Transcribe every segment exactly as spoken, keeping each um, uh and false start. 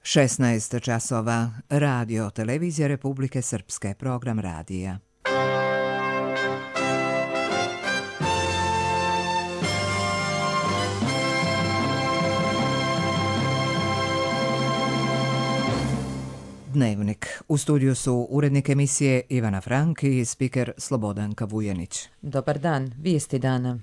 šesnaest časova. Radio Televizija Republike Srpske, program radija. Dnevnik. U studiju su urednik emisije Ivana Frank i spiker Slobodanka Vujanić. Dobar dan, vijesti dana.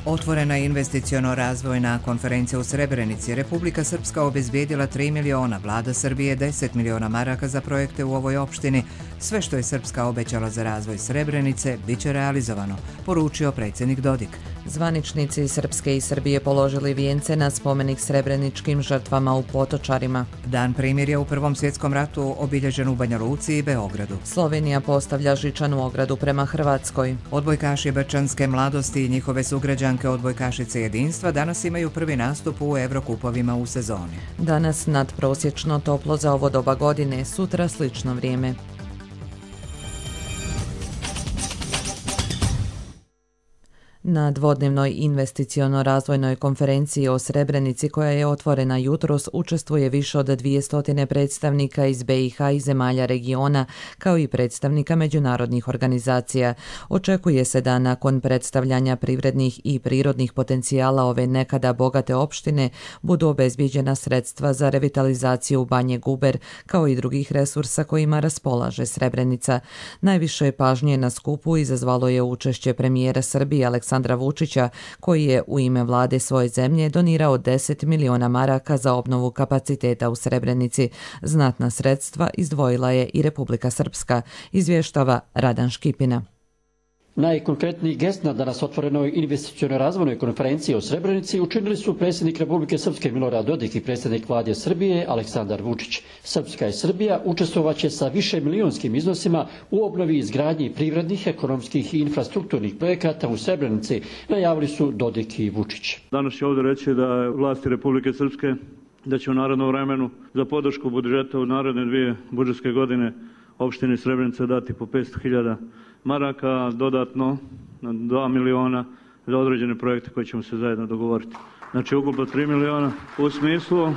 Otvorena investiciono-razvojna konferencija u Srebrenici. Republika Srpska obezbijedila tri miliona, vlada Srbije deset miliona maraka za projekte u ovoj opštini. Sve što je Srpska obećala za razvoj Srebrenice bit će realizovano, poručio predsjednik Dodik. Zvaničnici Srpske i Srbije položili vijence na spomenik srebreničkim žrtvama u Potočarima. Dan primirja u Prvom svjetskom ratu obilježen u Banja Luci i Beogradu. Slovenija postavlja žičanu ogradu prema Hrvatskoj. Odbojkaši Brčanske mladosti i njihove sugrađanke odbojkašice jedinstva danas imaju prvi nastup u Evrokupovima u sezoni. Danas nadprosječno toplo za ovo doba godine, sutra slično vrijeme. Na dvodnevnoj investiciono-razvojnoj konferenciji o Srebrenici koja je otvorena jutros učestvuje više od dvjesto predstavnika iz B i H i zemalja regiona, kao i predstavnika međunarodnih organizacija. Očekuje se da nakon predstavljanja privrednih i prirodnih potencijala ove nekada bogate opštine budu obezbijeđena sredstva za revitalizaciju Banje Guber, kao i drugih resursa kojima raspolaže Srebrenica. Najviše pažnje na skupu izazvalo je učešće premijera Srbije Aleksandra Aleksandra Vučića, koji je u ime vlade svoje zemlje donirao deset miliona maraka za obnovu kapaciteta u Srebrenici. Znatna sredstva izdvojila je i Republika Srpska, izvještava Radan Škipina. Najkonkretniji gest na danas otvorenoj investicionoj razvojnoj konferenciji o Srebrenici učinili su predsjednik Republike Srpske Milorad Dodik i predsjednik vlade Srbije Aleksandar Vučić. Srpska i Srbija učestvovaće sa više milionskim iznosima u obnovi i izgradnji privrednih, ekonomskih i infrastrukturnih projekata u Srebrenici, najavili su Dodik i Vučić. Danas će ovdje reći da je vlasti Republike Srpske da će u narednom vremenu za podršku budžeta u naredne dvije budžetske godine opštini Srebrenica dati po petsto hiljada maraka, dodatno na dva miliona za određene projekte koje ćemo se zajedno dogovoriti. Znači ukupno tri miliona u smislu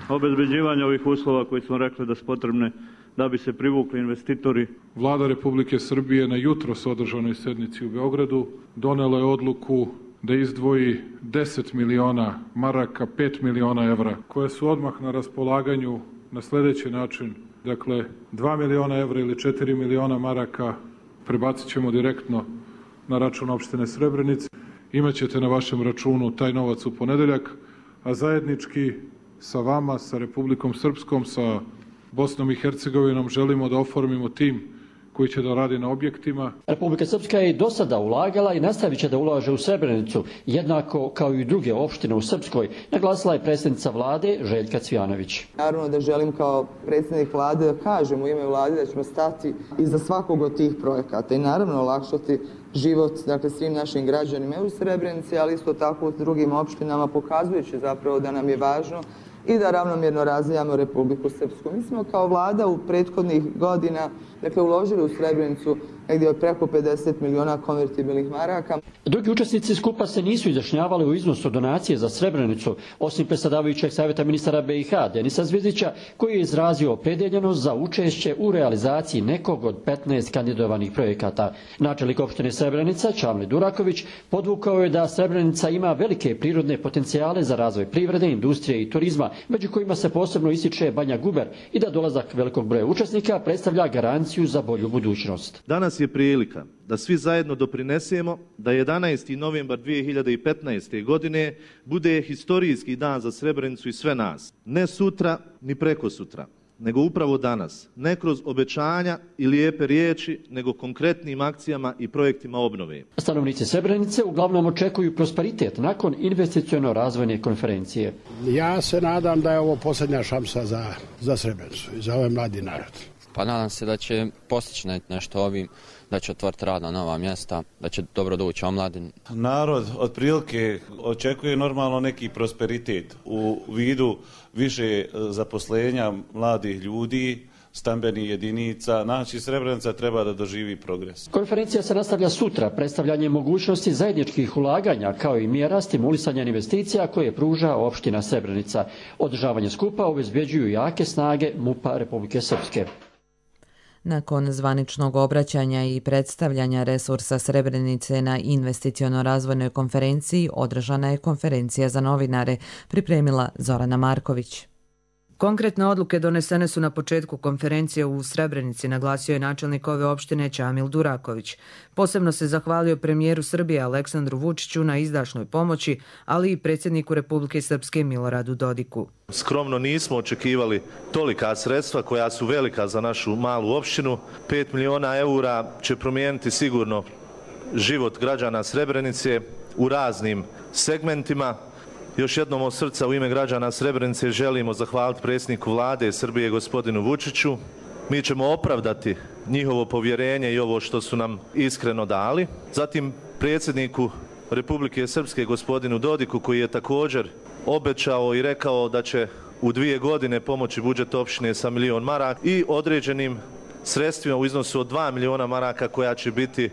obezbeđivanja ovih uslova koji smo rekli da su potrebne da bi se privukli investitori. Vlada Republike Srbije na jutros održanoj sednici u Beogradu donela je odluku da izdvoji deset miliona maraka, pet miliona evra, koje su odmah na raspolaganju na sljedeći način. Dakle, dva miliona evra ili četiri miliona maraka prebacit ćemo direktno na račun opštine Srebrenice. Imaćete na vašem računu taj novac u ponedeljak, a zajednički sa vama, sa Republikom Srpskom, sa Bosnom i Hercegovinom želimo da oformimo tim koji će da radi na objektima. Republika Srpska je do sada ulagala i nastavit će da ulaže u Srebrenicu, jednako kao i druge opštine u Srpskoj, naglasila je predsjednica vlade Željka Cvijanović. Naravno da želim kao predsjednik vlade da kažem u ime vlade da ćemo stati iza svakog od tih projekata i naravno olakšati život dakle, svim našim građanima u Srebrenici, ali isto tako u drugim opštinama, pokazujući zapravo da nam je važno i da ravnomjerno razvijamo Republiku Srpsku. Mi smo kao vlada u prethodnih godina dakle, uložili u Srebrenicu negdje od preko pedeset miliona konvertibilnih maraka. Drugi učesnici skupa se nisu izjašnjavali u iznosu donacije za Srebrenicu, osim predsjedavajućeg savjeta ministara B i H Denisa Zvizdića, koji je izrazio opredeljenost za učešće u realizaciji nekog od petnaest kandidovanih projekata. Načelnik opštine Srebrenica, Čamli Duraković, podvukao je da Srebrenica ima velike prirodne potencijale za razvoj privrede, industrije i turizma, među kojima se posebno ističe Banja Guber i da dolazak velikog broja učesnika predstavlja garanciju za bolju budućnost. Danas je prilika da svi zajedno doprinesemo da jedanaesti novembar dvije hiljade petnaeste. godine bude historijski dan za Srebrenicu i sve nas. Ne sutra ni preko sutra, nego upravo danas. Ne kroz obećanja i lijepe riječi, nego konkretnim akcijama i projektima obnove. Stanovnici Srebrenice uglavnom očekuju prosperitet nakon investiciono-razvojne konferencije. Ja se nadam da je ovo posljednja šansa za, za Srebrenicu i za ovaj mladi narod. Pa nadam se da će postići nešto ovim, da će otvoriti radna nova mjesta, da će dobro doći omladin. Narod otprilike očekuje normalno neki prosperitet u vidu više zaposlenja mladih ljudi, stambenih jedinica. Znači, Srebrenica treba da doživi progres. Konferencija se nastavlja sutra predstavljanjem mogućnosti zajedničkih ulaganja kao i mjera stimulisanja investicija koje pruža opština Srebrenica. Održavanje skupa obezbjeđuju jake snage MUP-a Republike Srpske. Nakon zvaničnog obraćanja i predstavljanja resursa Srebrenice na investiciono-razvojnoj konferenciji održana je konferencija za novinare, pripremila Zorana Marković. Konkretne odluke donesene su na početku konferencije u Srebrenici, naglasio je načelnik ove opštine Čamil Duraković. Posebno se zahvalio premijeru Srbije Aleksandru Vučiću na izdašnoj pomoći, ali i predsjedniku Republike Srpske Miloradu Dodiku. Skromno nismo očekivali tolika sredstva koja su velika za našu malu opštinu. pet miliona eura će promijeniti sigurno život građana Srebrenice u raznim segmentima. Još jednom od srca u ime građana Srebrenice želimo zahvaliti predsjedniku vlade Srbije gospodinu Vučiću. Mi ćemo opravdati njihovo povjerenje i ovo što su nam iskreno dali. Zatim predsjedniku Republike Srpske gospodinu Dodiku koji je također obećao i rekao da će u dvije godine pomoći budžet opštine sa milion maraka i određenim sredstvima u iznosu od dva miliona maraka koja će biti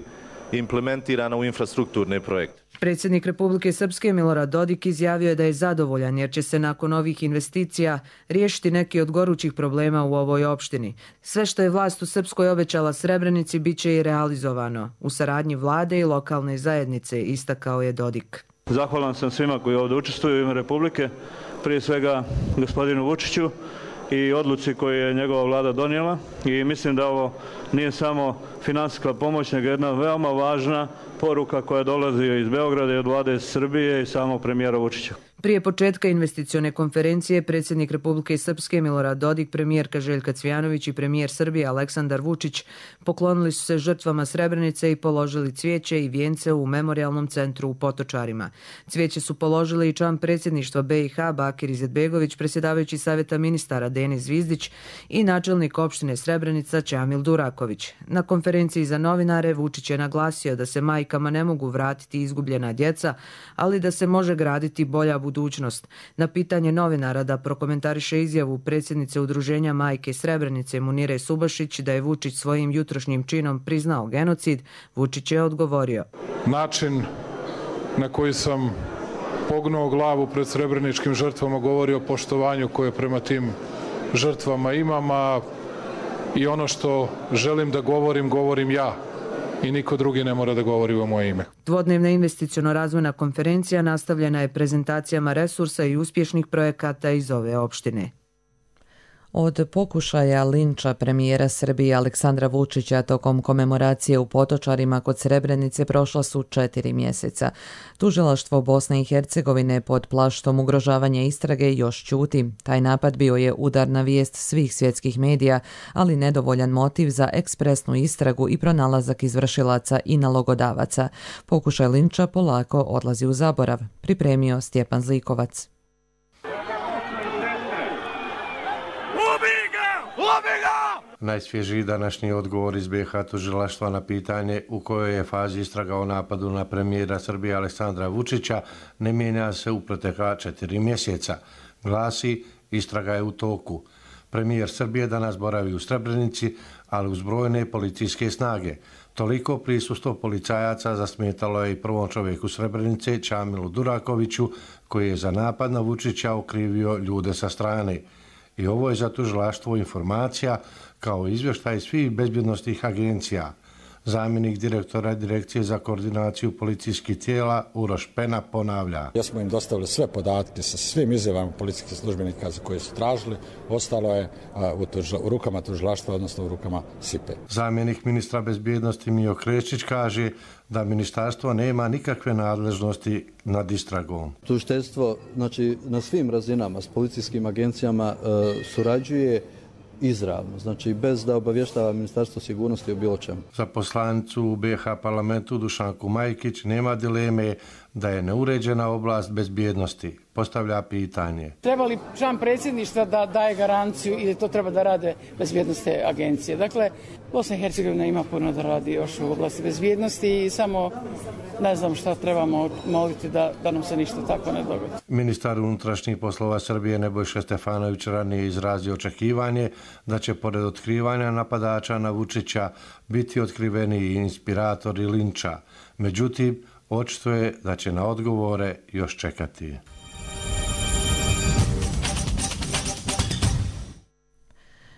implementirana u infrastrukturne projekte. Predsjednik Republike Srpske Milorad Dodik izjavio je da je zadovoljan jer će se nakon ovih investicija riješiti neki od gorućih problema u ovoj opštini. Sve što je vlast u Srpskoj obećala Srebrenici bit će i realizovano u saradnji vlade i lokalne zajednice, istakao je Dodik. Zahvalan sam svima koji ovdje učestvuju u ime Republike, prije svega gospodinu Vučiću i odluci koju je njegova vlada donijela i mislim da ovo nije samo finansijska pomoć, nego jedna veoma važna poruka koja dolazi iz Beograda i od vlade Srbije i samog premijera Vučića. Prije početka investicione konferencije predsjednik Republike Srpske Milorad Dodik, premijerka Željka Cvijanović i premijer Srbije Aleksandar Vučić poklonili su se žrtvama Srebrenice i položili cvijeće i vijence u memorijalnom centru u Potočarima. Cvijeće su položili i član predsjedništva B i H Bakir Izetbegović, predsjedavajući savjeta ministara Denis Zvizdić i načelnik opštine Srebrenica Čamil Duraković. Na konferenciji za novinare Vučić je naglasio da se majkama ne mogu vratiti izgubljena djeca, ali da se može graditi bolja budućnost. Na pitanje novinara da prokomentariše izjavu predsjednice Udruženja Majke Srebrenice Munire Subašić da je Vučić svojim jutrošnjim činom priznao genocid, Vučić je odgovorio. Način na koji sam pognuo glavu pred srebreničkim žrtvama govori o poštovanju koje prema tim žrtvama imam, a i ono što želim da govorim, govorim ja. I niko drugi ne mora da govori u moje ime. Dvodnevna investiciono-razvojna konferencija nastavljena je prezentacijama resursa i uspješnih projekata iz ove opštine. Od pokušaja linča premijera Srbije Aleksandra Vučića tokom komemoracije u Potočarima kod Srebrenice prošla su četiri mjeseca. Tužilaštvo Bosne i Hercegovine pod plaštom ugrožavanja istrage još ćuti. Taj napad bio je udarna vijest svih svjetskih medija, ali nedovoljan motiv za ekspresnu istragu i pronalazak izvršilaca i nalogodavaca. Pokušaj linča polako odlazi u zaborav, pripremio Stjepan Zlikovac. Najsvježiji današnji odgovor iz B i H tužilaštva na pitanje u kojoj je fazi istraga o napadu na premijera Srbije Aleksandra Vučića ne mijenja se u protekla četiri mjeseca. Glasi, istraga je u toku. Premijer Srbije danas boravi u Srebrenici, ali uz brojne policijske snage. Toliko prisustvo policajaca zasmetalo je i prvom čovjeku Srebrenice, Čamilu Durakoviću, koji je za napad na Vučića okrivio ljude sa strane. I ovo je za tužilaštvo informacija kao izvještaj svih bezbjednostnih agencija. Zamjenik direktora Direkcije za koordinaciju policijskih tijela Uroš Pena ponavlja. Ja smo im dostavili sve podatke sa svim izjavama policijskih službenika za koje su tražili. Ostalo je u, tužla, u rukama tužilaštva, odnosno u rukama S I P E. Zamjenik ministra bezbjednosti Mijo Krešić kaže da ministarstvo nema nikakve nadležnosti nad istragom. Tužiteljstvo, znači, na svim razinama s policijskim agencijama e, surađuje izravno, znači bez da obavještava Ministarstvo sigurnosti o bilo čemu. Za poslanicu u B i H parlamentu Dušanku Majkić nema dileme da je neuređena oblast bezbjednosti. postavlja pitanje. Treba li član predsjedništva da daje garanciju ili to treba da rade bezbjednostne agencije? Dakle, Bosna i Hercegovina ima puno da radi još u oblasti bezbjednosti i samo ne znam šta trebamo moliti da, da nam se ništa tako ne dogodi. Ministar unutrašnjih poslova Srbije Nebojša Stefanović ranije izrazio očekivanje da će pored otkrivanja napadača na Vučića biti otkriveni i inspiratori linča. Međutim, očito je da će na odgovore još čekati.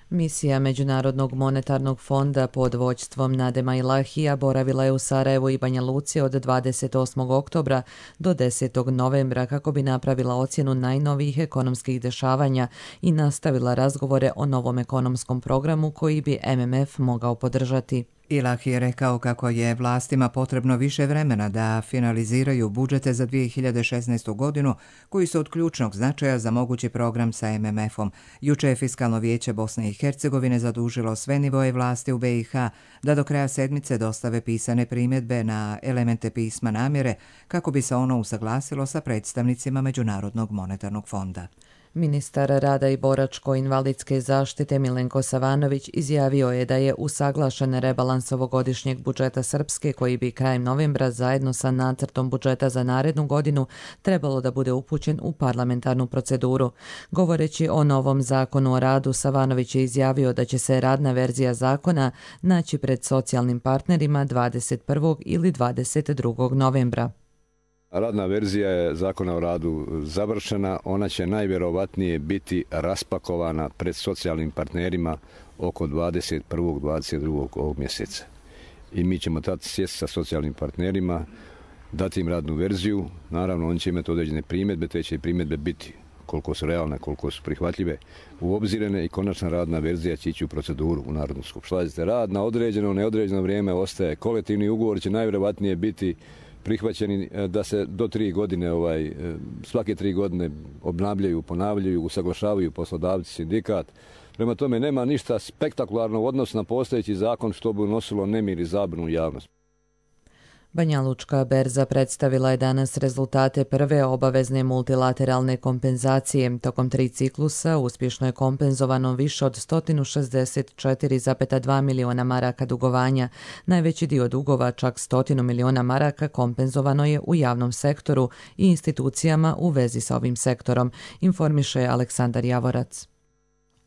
Misija Međunarodnog monetarnog fonda pod vođstvom Nadema Ilahija boravila je u Sarajevu i Banja Luci od dvadeset osmog oktobra do desetog novembra kako bi napravila ocjenu najnovijih ekonomskih dešavanja i nastavila razgovore o novom ekonomskom programu koji bi M M F mogao podržati. Ilahi je rekao kako je vlastima potrebno više vremena da finaliziraju budžete za dvije hiljade šesnaestu godinu koji su od ključnog značaja za mogući program sa M M F-om. Juče je Fiskalno vijeće Bosne i Hercegovine zadužilo sve nivoje vlasti u B i H da do kraja sedmice dostave pisane primjedbe na elemente pisma namjere kako bi se ono usaglasilo sa predstavnicima Međunarodnog monetarnog fonda. Ministar rada i boračko-invalidske zaštite Milenko Savanović izjavio je da je usaglašen rebalans ovogodišnjeg budžeta Srpske koji bi krajem novembra zajedno sa nacrtom budžeta za narednu godinu trebalo da bude upućen u parlamentarnu proceduru. Govoreći o novom zakonu o radu, Savanović je izjavio da će se radna verzija zakona naći pred socijalnim partnerima dvadeset prvog ili dvadeset drugog novembra. Radna verzija je zakona o radu završena, ona će najvjerovatnije biti raspakovana pred socijalnim partnerima oko dvadeset prvog dvadeset drugog ovog mjeseca. I mi ćemo tad sjesti sa socijalnim partnerima, dati im radnu verziju, naravno oni će imati određene primjedbe, te će i primjedbe biti koliko su realne, koliko su prihvatljive, uobzirene i konačna radna verzija će ići u proceduru u Narodnu skupštinu. Rad na određeno, neodređeno vrijeme ostaje. Kolektivni ugovor će najvjerovatnije biti prihvaćeni da se do tri godine, ovaj, svake tri godine obnavljaju, ponavljaju, usaglašavaju poslodavci, sindikat. Prema tome nema ništa spektakularno u odnosu na postojeći zakon što bi unosilo nemir i zabunu u javnost. Banja Lučka berza predstavila je danas rezultate prve obavezne multilateralne kompenzacije. Tokom tri ciklusa uspješno je kompenzovano više od sto šezdeset četiri zarez dva miliona maraka dugovanja. Najveći dio dugova, čak sto miliona maraka, kompenzovano je u javnom sektoru i institucijama u vezi sa ovim sektorom, informiše Aleksandar Javorac.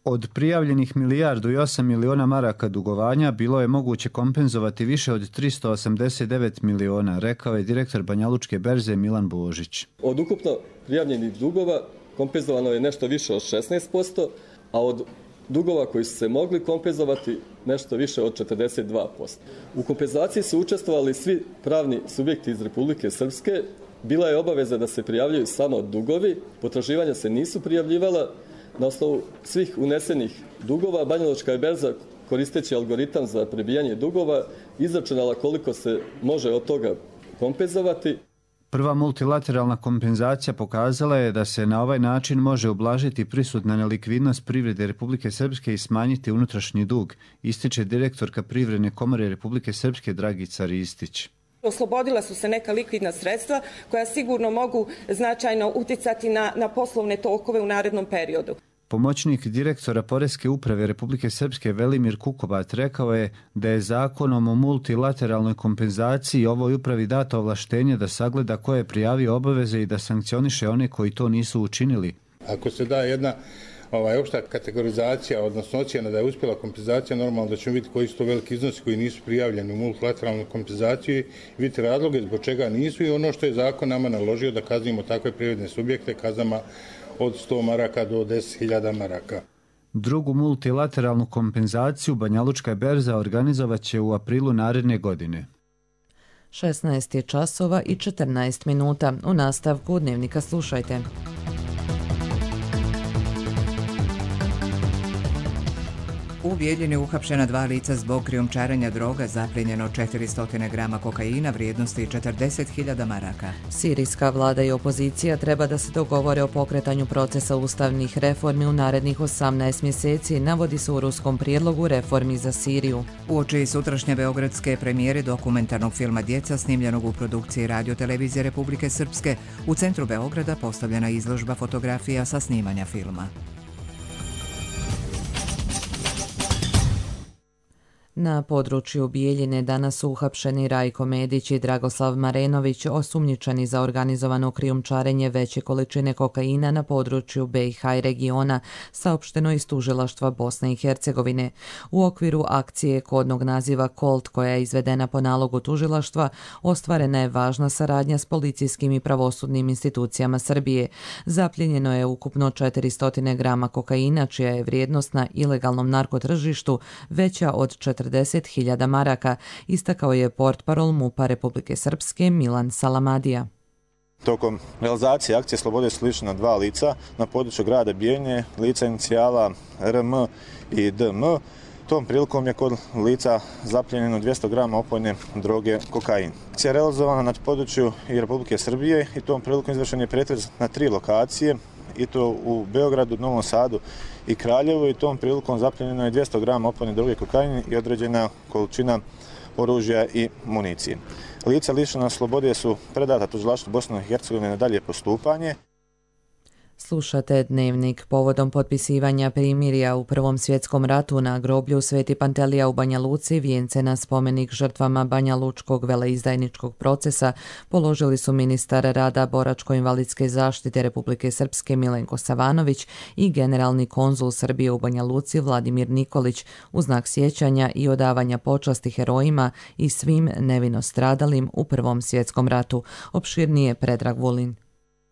Od prijavljenih milijardu i osam miliona maraka dugovanja bilo je moguće kompenzovati više od tristo osamdeset devet miliona, rekao je direktor Banjalučke berze Milan Božić. Od ukupno prijavljenih dugova kompenzovano je nešto više od šesnaest posto, a od dugova koji su se mogli kompenzovati nešto više od četrdeset dva posto. U kompenzaciji su učestvovali svi pravni subjekti iz Republike Srpske. Bila je obaveza da se prijavljaju samo dugovi, potraživanja se nisu prijavljivala. Na osnovu svih unesenih dugova, Banjalučka je berza, koristeći algoritam za prebijanje dugova, izračunala koliko se može od toga kompenzovati. Prva multilateralna kompenzacija pokazala je da se na ovaj način može ublažiti prisutna nelikvidnost privrede Republike Srpske i smanjiti unutrašnji dug, ističe direktorka Privredne komore Republike Srpske Dragica Ristić. Oslobodila su se neka likvidna sredstva koja sigurno mogu značajno uticati na, na poslovne tokove u narednom periodu. Pomoćnik direktora Poreske uprave Republike Srpske Velimir Kukobat rekao je da je zakonom o multilateralnoj kompenzaciji ovoj upravi dato ovlaštenje da sagleda ko je prijavio obaveze i da sankcioniše one koji to nisu učinili. Ako se da jedna Ovaj, opšta kategorizacija, odnosno ocjena da je uspjela kompenzacija, normalno da ćemo vidjeti koji su to veliki iznosi koji nisu prijavljeni u multilateralnu kompenzaciju, vidjeti razloge zbog čega nisu i ono što je zakon nama naložio da kaznimo takve privredne subjekte kaznama od sto maraka do deset hiljada maraka. Drugu multilateralnu kompenzaciju Banjalučka berza organizovat će u aprilu naredne godine. šesnaest je časova i četrnaest minuta. U nastavku Dnevnika slušajte. U Bijeljini uhapšena dva lica zbog krijumčarenja droga, zaplijenjeno četiristo grama kokaina vrijednosti četrdeset hiljada maraka. Sirijska vlada i opozicija treba da se dogovore o pokretanju procesa ustavnih reformi u narednih osamnaest mjeseci, navodi se u ruskom prijedlogu reformi za Siriju. Uoči sutrašnje beogradske premijere dokumentarnog filma Djeca snimljenog u produkciji Radio Televizije Republike Srpske, u centru Beograda postavljena izložba fotografija sa snimanja filma. Na području Bijeljine danas su uhapšeni Rajko Medić i Dragoslav Marenović, osumnjičeni za organizovano krijumčarenje veće količine kokaina na području B i H i regiona, saopšteno iz tužilaštva Bosne i Hercegovine. U okviru akcije kodnog naziva Colt, koja je izvedena po nalogu tužilaštva, ostvarena je važna saradnja s policijskim i pravosudnim institucijama Srbije. Zapljenjeno je ukupno četiristo grama kokaina, čija je vrijednost na ilegalnom narkotržištu veća od četrdeset hiljada maraka, istakao je portparol MUP-a Republike Srpske Milan Salamadija. Tokom realizacije akcije Slobode su lišena dva lica na području grada Bijeljine, lica inicijala R M i D M. Tom prilikom je kod lica zapljenjeno dvjesto grama opojne droge kokain. Akcija je realizovana na području i Republike Srbije i tom prilikom izvršen je pretres na tri lokacije, i to u Beogradu, Novom Sadu i Kraljevu, i tom prilikom zapljenjeno je dvjesto grama opojne droge kokain i određena količina oružja i municije. Lica lišena slobode su predata tužilaštvu Bosne i Hercegovine na dalje postupanje. Slušate Dnevnik. Povodom potpisivanja primirja u Prvom svjetskom ratu na groblju Sveti Pantelija u Banja Luci vijence na spomenik žrtvama Banja Lučkog veleizdajničkog procesa položili su ministar rada boračko-invalidske zaštite Republike Srpske Milenko Savanović i generalni konzul Srbije u Banja Luci Vladimir Nikolić u znak sjećanja i odavanja počasti herojima i svim nevino stradalim u Prvom svjetskom ratu. Opširnije Predrag Vulin.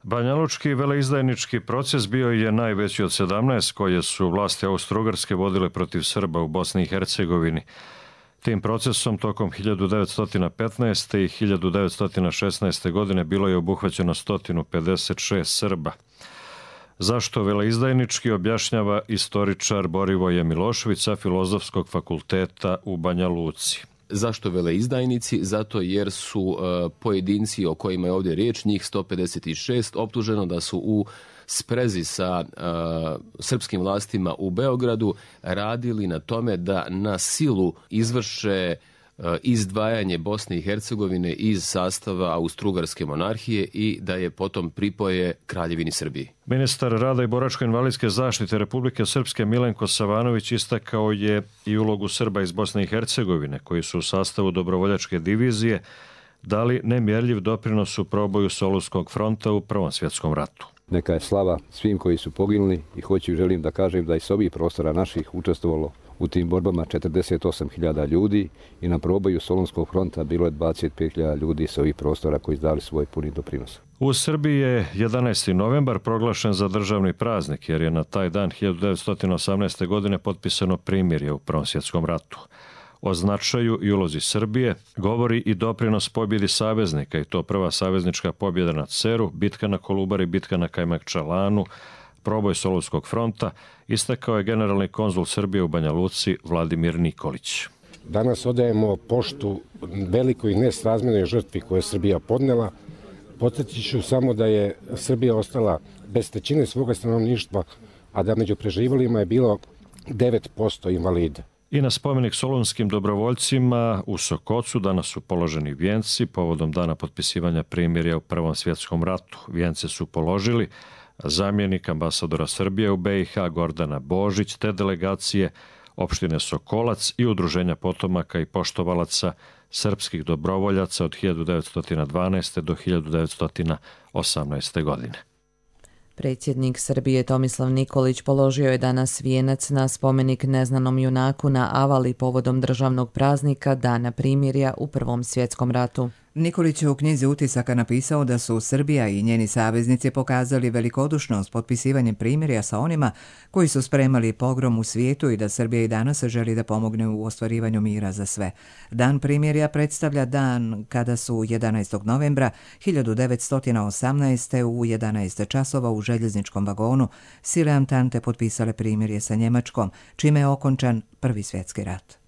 Banjalučki veleizdajnički proces bio je najveći od sedamnaest koje su vlasti Austro-Ugarske vodile protiv Srba u Bosni i Hercegovini. Tim procesom tokom hiljadu devetsto petnaeste. i hiljadu devetsto šesnaeste. godine bilo je obuhvaćeno sto pedeset šest Srba. Zašto veleizdajnički objašnjava istoričar Borivoje Milošević sa Filozofskog fakulteta u Banja Luci. Zašto veleizdajnici? Zato jer su uh, pojedinci o kojima je ovdje riječ, njih sto pedeset šest, optuženo da su u sprezi sa uh, srpskim vlastima u Beogradu radili na tome da na silu izvrše uh, izdvajanje Bosne i Hercegovine iz sastava Austro-Ugarske monarhije i da je potom pripoje Kraljevini Srbiji. Ministar rada i boračko-invalidske zaštite Republike Srpske Milenko Savanović istakao je i ulogu Srba iz Bosne i Hercegovine koji su u sastavu dobrovoljačke divizije dali nemjerljiv doprinos u proboju Solunskog fronta u Prvom svjetskom ratu. Neka je slava svim koji su poginuli i hoću i želim da kažem da iz ovih prostora naših učestvovalo u tim borbama četrdeset osam hiljada ljudi i na proboju Solunskog fronta bilo je dvadeset pet hiljada ljudi sa ovih prostora koji dali svoj puni doprinos. U Srbiji je jedanaesti novembar proglašen za državni praznik jer je na taj dan hiljadu devetsto osamnaeste. godine potpisano primirje u Prvom svjetskom ratu. O značaju i ulozi Srbije govori i doprinos pobjedi saveznika, i to prva saveznička pobjeda na Ceru, bitka na Kolubari, bitka na Kajmakčalanu, proboj Solunskog fronta, istakao je generalni konzul Srbije u Banja Luci Vladimir Nikolić. Danas odajemo poštu velikoj nesrazmjernoj žrtvi koju je Srbija podnela. Podsjetit ću samo da je Srbija ostala bez trećine svoga stanovništva, a da među preživalima je bilo devet posto invalida. I na spomenik solunskim dobrovoljcima u Sokocu danas su položeni vijenci povodom dana potpisivanja primirja u Prvom svjetskom ratu. Vijence su položili zamjenik ambasadora Srbije u B i H Gordana Božić te delegacije opštine Sokolac i udruženja potomaka i poštovalaca srpskih dobrovoljaca od hiljadu devetsto dvanaeste. do hiljadu devetsto osamnaeste. godine. Predsjednik Srbije Tomislav Nikolić položio je danas vijenac na spomenik neznanom junaku na Avali povodom državnog praznika Dana primirja u Prvom svjetskom ratu. Nikolić je u knjizi utisaka napisao da su Srbija i njeni saveznici pokazali velikodušnost potpisivanjem primirja sa onima koji su spremali pogrom u svijetu i da Srbija i danas želi da pomogne u ostvarivanju mira za sve. Dan primirja predstavlja dan kada su jedanaestog novembra hiljadu devetsto osamnaeste. u jedanaest časova u željezničkom vagonu sile Antante potpisale primirje sa Njemačkom, čime je okončan Prvi svjetski rat.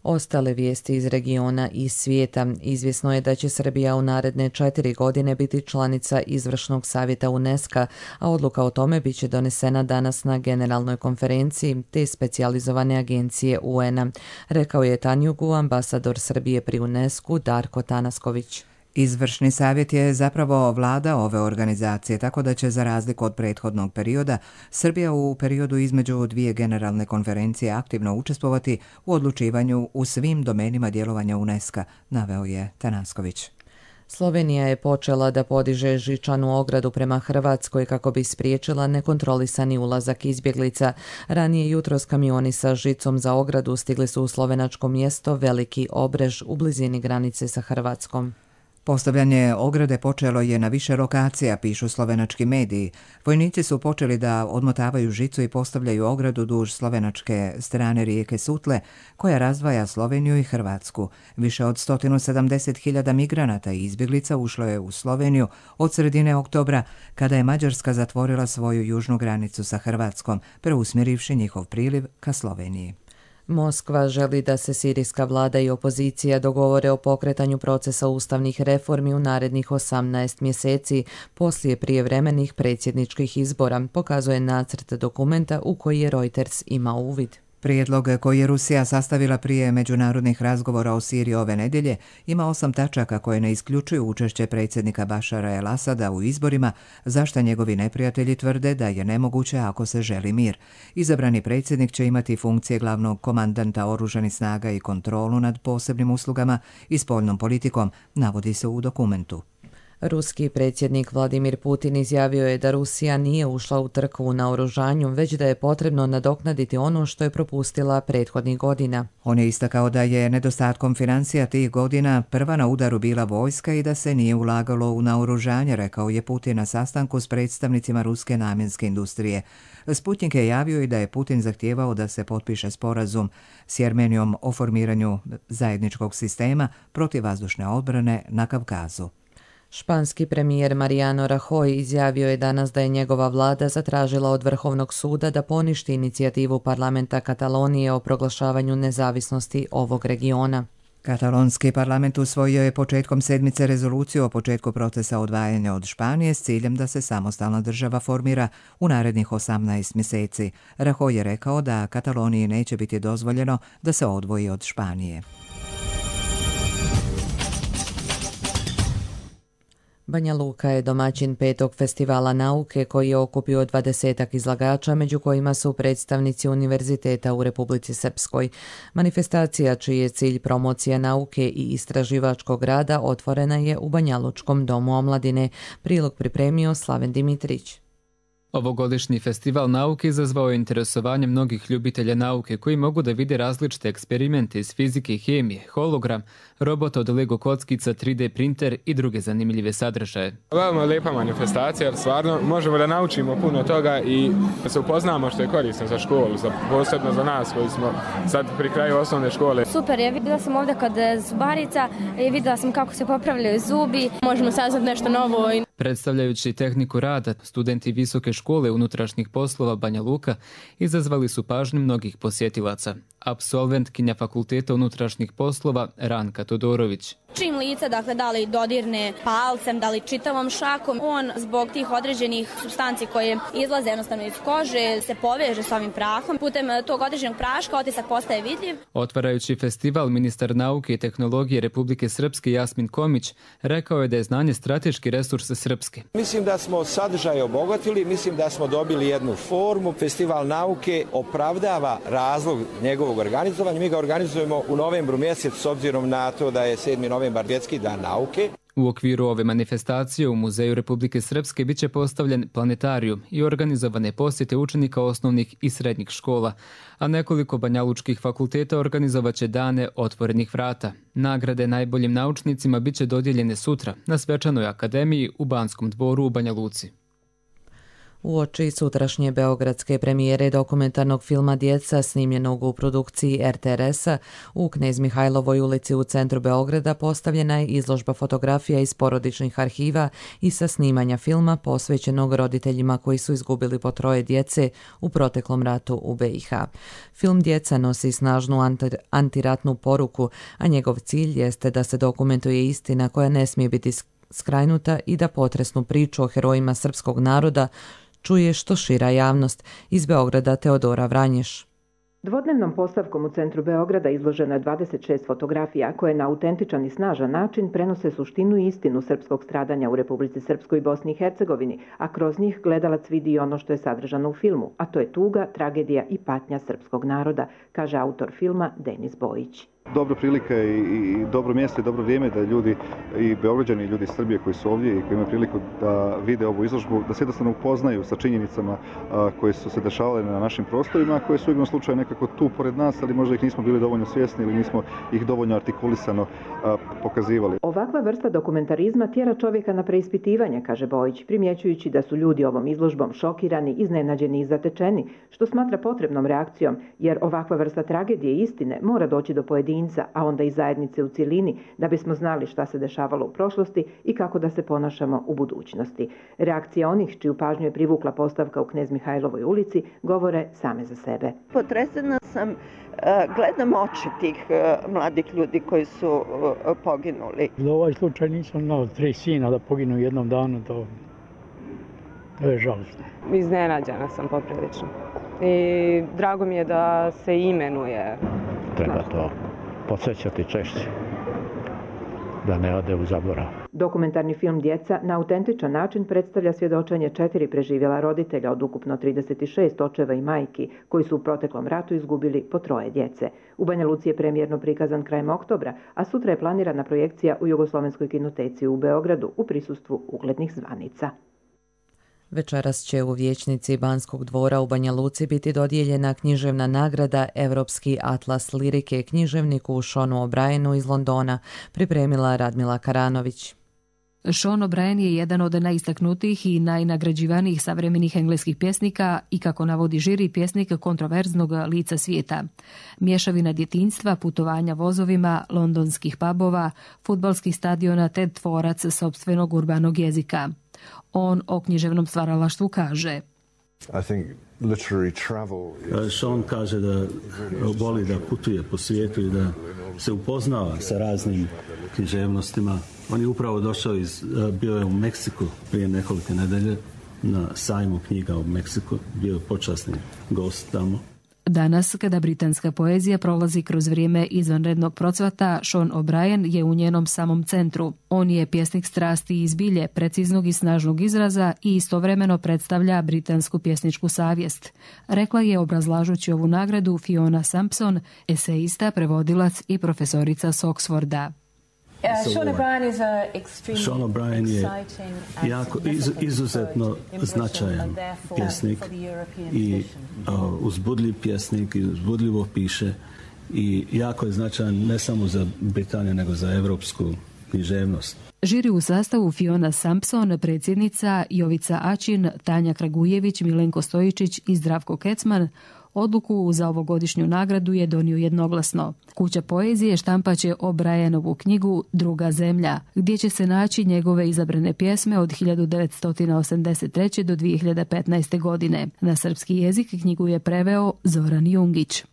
Ostale vijesti iz regiona i svijeta. Izvjesno je da će Srbija u naredne četiri godine biti članica izvršnog savjeta UNESCO, a odluka o tome bit će donesena danas na generalnoj konferenciji te specijalizovane agencije U N-a, rekao je Tanjugu ambasador Srbije pri UNESCO Darko Tanasković. Izvršni savjet je zapravo vlada ove organizacije, tako da će za razliku od prethodnog perioda Srbija u periodu između dvije generalne konferencije aktivno učestvovati u odlučivanju u svim domenima djelovanja UNESCO, naveo je Tanasković. Slovenija je počela da podiže žičanu ogradu prema Hrvatskoj kako bi spriječila nekontrolisani ulazak izbjeglica. Ranije jutros kamioni sa žicom za ogradu stigli su u slovenačko mjesto Veliki Obrež u blizini granice sa Hrvatskom. Postavljanje ograde počelo je na više lokacija, pišu slovenački mediji. Vojnici su počeli da odmotavaju žicu i postavljaju ogradu duž slovenačke strane rijeke Sutle, koja razdvaja Sloveniju i Hrvatsku. Više od sto sedamdeset hiljada migranata i izbjeglica ušlo je u Sloveniju od sredine oktobra, kada je Mađarska zatvorila svoju južnu granicu sa Hrvatskom, preusmjerivši njihov priliv ka Sloveniji. Moskva želi da se sirijska vlada i opozicija dogovore o pokretanju procesa ustavnih reformi u narednih osamnaest mjeseci poslije prijevremenih predsjedničkih izbora, pokazuje nacrt dokumenta u koji je Reuters imao uvid. Prijedlog koji je Rusija sastavila prije međunarodnih razgovora o Siriji ove nedjelje ima osam tačaka koje ne isključuju učešće predsjednika Bašara el-Asada u izborima, za što njegovi neprijatelji tvrde da je nemoguće ako se želi mir. Izabrani predsjednik će imati funkcije glavnog komandanta oružanih snaga i kontrolu nad posebnim uslugama i spoljnom politikom, navodi se u dokumentu. Ruski predsjednik Vladimir Putin izjavio je da Rusija nije ušla u trku u naoružanju, već da je potrebno nadoknaditi ono što je propustila prethodnih godina. On je istakao da je nedostatkom financija tih godina prva na udaru bila vojska i da se nije ulagalo u naoružanje, rekao je Putin na sastanku s predstavnicima ruske namjenske industrije. Sputnik je javio i da je Putin zahtijevao da se potpiše sporazum s Jermenijom o formiranju zajedničkog sistema protivvazdušne odbrane na Kavkazu. Španski premijer Mariano Rajoy izjavio je danas da je njegova vlada zatražila od Vrhovnog suda da poništi inicijativu parlamenta Katalonije o proglašavanju nezavisnosti ovog regiona. Katalonski parlament usvojio je početkom sedmice rezoluciju o početku procesa odvajanja od Španije s ciljem da se samostalna država formira u narednih osamnaest mjeseci. Rajoy je rekao da Kataloniji neće biti dozvoljeno da se odvoji od Španije. Banja Luka je domaćin petog festivala nauke koji je okupio dvadesetak izlagača, među kojima su predstavnici univerziteta u Republici Srpskoj. Manifestacija, čiji je cilj promocija nauke i istraživačkog rada, otvorena je u Banjalučkom domu omladine. Prilog pripremio Slaven Dimitrić. Ovogodišnji festival nauke izazvao je interesovanje mnogih ljubitelja nauke koji mogu da vide različite eksperimente iz fizike i hemije, hologram, robota od Lego kockica, tri D printer i druge zanimljive sadržaje. Veoma lijepa manifestacija, jer stvarno možemo da naučimo puno toga i da se upoznamo što je korisno za školu, za, posebno za nas koji smo sad pri kraju osnovne škole. Super je, vidjela sam ovdje kod zubarica i vidjela sam kako se popravljaju zubi, možemo saznati nešto novo. Predstavljajući tehniku rada, studenti Visoke škole unutrašnjih poslova Banja Luka izazvali su pažnju mnogih posjetilaca. Apsolventkinja Fakulteta unutrašnjih poslova Ranka Todorović. Čim lice, dakle, da li dodirne palcem, da li čitavom šakom, on zbog tih određenih supstanci koje izlaze jednostavno iz kože se poveže s ovim prahom. Putem tog određenog praška otisak postaje vidljiv. Otvarajući festival, ministar nauke i tehnologije Republike Srpske Jasmin Komić rekao je da je znanje strateški resurs Srpske. Mislim da smo sadržaj obogatili, mislim da smo dobili jednu formu. Festival nauke opravdava razlog njegovog organizovanja. Mi ga organizujemo u novembru mjesec s obzirom na to da je sedmi novembar Svjetski dan nauke. U okviru ove manifestacije u Muzeju Republike Srpske biće postavljen planetarijum i organizovane posjete učenika osnovnih i srednjih škola, a nekoliko banjalučkih fakulteta organizovaće dane otvorenih vrata. Nagrade najboljim naučnicima biće dodijeljene sutra na Svečanoj akademiji u Banskom dvoru u Banja Luci. Uoči sutrašnje beogradske premijere dokumentarnog filma Djeca snimljenog u produkciji er te er esa u Knez Mihajlovoj ulici u centru Beograda postavljena je izložba fotografija iz porodičnih arhiva i sa snimanja filma posvećenog roditeljima koji su izgubili po troje djece u proteklom ratu u be i ha. Film Djeca nosi snažnu antiratnu poruku, a njegov cilj jeste da se dokumentuje istina koja ne smije biti skrajnuta i da potresnu priču o herojima srpskog naroda čuje što šira javnost. Iz Beograda Teodora Vranješ. Dvodnevnom postavkom u centru Beograda izloženo je dvadeset šest fotografija koje na autentičan i snažan način prenose suštinu i istinu srpskog stradanja u Republici Srpskoj i Bosni i Hercegovini, a kroz njih gledalac vidi ono što je sadržano u filmu, a to je tuga, tragedija i patnja srpskog naroda, kaže autor filma Denis Bojić. Dobra prilika i, i dobro mjesto i dobro vrijeme da ljudi i Beograđani i ljudi iz Srbije koji su ovdje i koji imaju priliku da vide ovu izložbu, da se jednostavno upoznaju sa činjenicama a, koje su se dešavale na našim prostorima, koje su u igrom slučaju nekako tu pored nas, ali možda ih nismo bili dovoljno svjesni ili nismo ih dovoljno artikulisano a, pokazivali. Ovakva vrsta dokumentarizma tjera čovjeka na preispitivanje, kaže Bojić, primjećujući da su ljudi ovom izložbom šokirani, iznenađeni i zatečeni, što smatra potrebnom reakcijom, jer ovakva vrsta tragedije i istine mora doći do pojedinca, a onda i zajednice u cjelini, da bismo znali šta se dešavalo u prošlosti i kako da se ponašamo u budućnosti. Reakcija onih čiju pažnju je privukla postavka u Knez Mihajlovoj ulici govore same za sebe. Potresena sam, gledam oči tih mladih ljudi koji su poginuli. Za ovaj slučaj nisam znao, tri sina da poginu u jednom danu, to, to je žalostno. Iznenađena sam poprilično. I drago mi je da se imenuje. Treba to podsjećati češće, da ne ode u zaborav. Dokumentarni film Djeca na autentičan način predstavlja svjedočenje četiri preživjela roditelja od ukupno trideset šest očeva i majki koji su u proteklom ratu izgubili po troje djece. U Banja Luci je premijerno prikazan krajem oktobra, a sutra je planirana projekcija u Jugoslovenskoj kinoteci u Beogradu u prisustvu uglednih zvanica. Večeras će u vijećnici Banskog dvora u Banja Luci biti dodijeljena književna nagrada Evropski atlas lirike književniku Seanu O'Brienu iz Londona, pripremila Radmila Karanović. Sean O'Brien je jedan od najistaknutijih i najnagrađivanijih savremenih engleskih pjesnika i, kako navodi žiri, pjesnik kontroverznog lica svijeta. Mješavina djetinjstva, putovanja vozovima, londonskih pubova, fudbalskih stadiona te tvorac sopstvenog urbanog jezika. On o književnom stvaralaštvu kaže: Sean kaže da voli da putuje po svijetu i da se upoznava sa raznim književnostima. On je upravo došao iz, bio je u Meksiku prije nekoliko nedelje na sajmu knjiga u Meksiku, bio je počasni gost tamo. Danas, kada britanska poezija prolazi kroz vrijeme izvanrednog procvata, Sean O'Brien je u njenom samom centru. On je pjesnik strasti i zbilje, preciznog i snažnog izraza i istovremeno predstavlja britansku pjesničku savjest. Rekla je, obrazlažući ovu nagradu, Fiona Sampson, eseista, prevodilac i profesorica s Oxforda. Uh, Sean O'Brien is a extremely Sean O'Brien je jako iz, izuzetno značajan pjesnik i uh, uzbudljiv pjesnik i uzbudljivo piše i jako je značajan ne samo za Britaniju nego za evropsku književnost. Žiri u sastavu Fiona Sampson, predsjednica, Jovica Ačin, Tanja Kragujević, Milenko Stojičić i Zdravko Kecman. Odluku za ovogodišnju nagradu je donio jednoglasno. Kuća poezije štampaće O'Brienovu knjigu Druga zemlja, gdje će se naći njegove izabrane pjesme od hiljadu devetsto osamdeset treće do dvije hiljade petnaeste. godine. Na srpski jezik knjigu je preveo Zoran Jungić.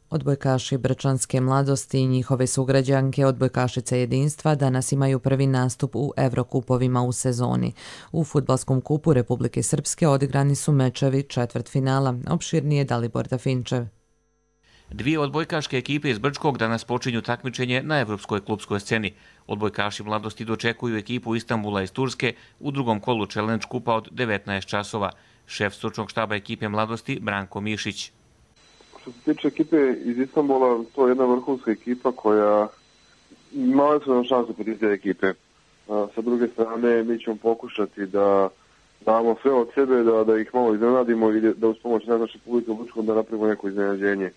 Odbojkaši Brčanske mladosti i njihove sugrađanke odbojkašice jedinstva danas imaju prvi nastup u Evrokupovima u sezoni. U fudbalskom kupu Republike Srpske odigrani su mečevi četvrtfinala. Opširnije Dalibor Dafinčev. Dvije odbojkaške ekipe iz Brčkog danas počinju takmičenje na evropskoj klubskoj sceni. Odbojkaši mladosti dočekuju ekipu Istanbula iz Turske u drugom kolu Challenge kupa od devetnaest časova. Šef stručnog štaba ekipe mladosti Branko Mišić. Što se tiče ekipe iz Istanbula, to je jedna vrhunska ekipa koja imala su nam šansu protiv te ekipe. Sa druge strane, mi ćemo pokušati da damo sve od sebe, da, da ih malo iznenadimo i da uz pomoć naše publike u Brčkom da napravimo neko iznenađenje.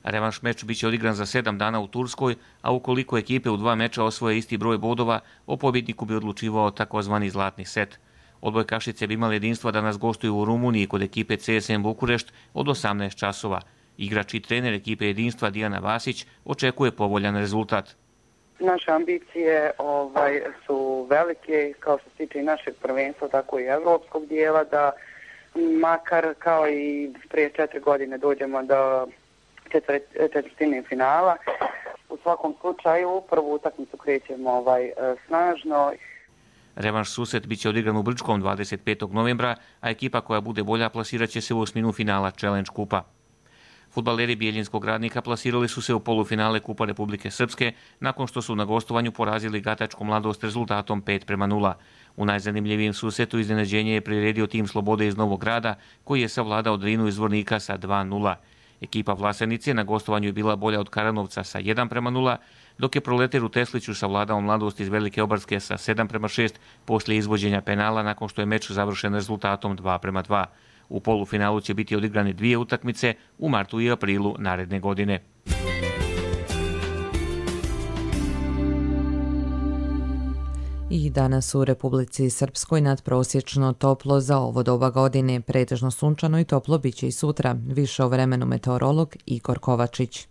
Revanš meč biće odigran za sedam dana u Turskoj, a ukoliko ekipe u dva meča osvoje isti broj bodova, o pobjedniku bi odlučivao takozvani zlatni set. Odbojkašice bi imali jedinstva da nas gostuju u Rumuniji kod ekipe C S M Bukurešt od osamnaest časova. Igrač i trener ekipe jedinstva Dijana Vasić očekuje povoljan rezultat. Naše ambicije ovaj, su velike, kao što se tiče i našeg prvenstva, tako i evropskog dijela, da makar kao i prije četiri godine dođemo do četvrtine finala. U svakom slučaju, u prvu utakmicu krećemo ovaj, snažno. Revanš susret biće odigran u Brčkom dvadeset petog novembra, a ekipa koja bude bolja plasirat će se u osminu finala Challenge kupa. Fudbaleri Bijeljinskog Radnika plasirali su se u polufinale Kupa Republike Srpske nakon što su na gostovanju porazili Gatačku Mladost rezultatom pet prema nula. U najzanimljivijem susretu iznenađenje je priredio tim Slobode iz Novog Grada, koji je savladao Drinu iz Zvornika sa dva nula. Ekipa Vlasenice na gostovanju je bila bolja od Karanovca sa jedan prema nula, dok je Proleter u Tesliću savladao Mladost iz Velike Obarske sa sedam prema šest poslije izvođenja penala nakon što je meč završen rezultatom dva prema dva. U polufinalu će biti odigrane dvije utakmice u martu i aprilu naredne godine. I danas u Republici Srpskoj nadprosječno toplo za ovo doba godine, pretežno sunčano i toplo biće i sutra. Više o vremenu meteorolog Igor Kovačić.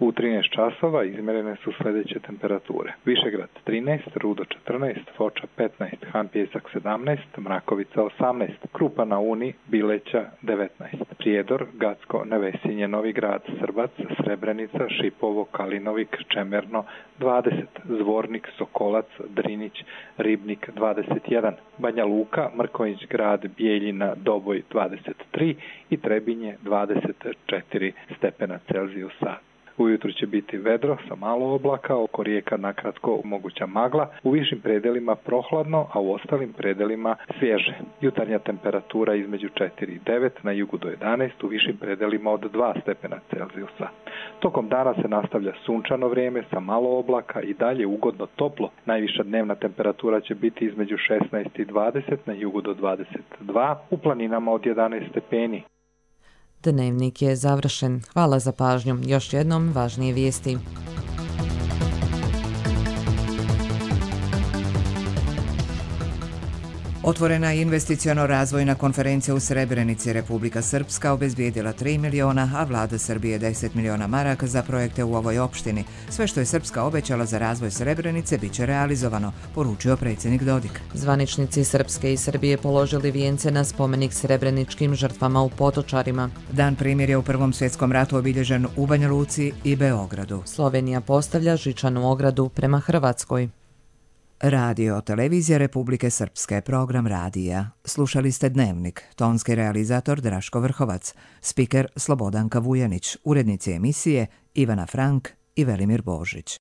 U trinaest časova izmjerene su sljedeće temperature. Višegrad trinaest, Rudo četrnaest, Foča petnaest, Han Pjesak sedamnaest, Mrakovica osamnaest, Krupa na Uni, Bileća devetnaest, Prijedor, Gacko, Nevesinje, Novi Grad, Srbac, Srebrenica, Šipovo, Kalinovik, Čemerno dvadeset, Zvornik, Sokolac, Drinić, Ribnik dvadeset jedan, Banja Luka, Mrkonjić Grad, Bijeljina, Doboj dvadeset tri i Trebinje dvadeset četiri stepena Celzijusa. Ujutru će biti vedro sa malo oblaka, oko rijeka nakratko moguća magla, u višim predelima prohladno, a u ostalim predelima svježe. Jutarnja temperatura između četiri i devet, na jugu do jedanaest, u višim predelima od dva stepena Celzijusa. Tokom dana se nastavlja sunčano vrijeme sa malo oblaka i dalje ugodno toplo. Najviša dnevna temperatura će biti između šesnaest i dvadeset, na jugu do dvadeset dva, u planinama od jedanaest stepeni. Dnevnik je završen. Hvala za pažnju. Još jednom važnije vijesti. Otvorena je investiciono-razvojna konferencija u Srebrenici. Republika Srpska obezbijedila tri miliona, a vlada Srbije deset miliona maraka za projekte u ovoj opštini. Sve što je Srpska obećala za razvoj Srebrenice bit će realizovano, poručio predsjednik Dodik. Zvaničnici Srpske i Srbije položili vijence na spomenik srebreničkim žrtvama u Potočarima. Dan primirja u Prvom svjetskom ratu obilježen u Banja Luci i Beogradu. Slovenija postavlja žičanu ogradu prema Hrvatskoj. Radio Televizija Republike Srpske, program radija. Slušali ste Dnevnik, tonski realizator Draško Vrhovac, spiker Slobodanka Vujanić, urednici emisije Ivana Frank i Velimir Božić.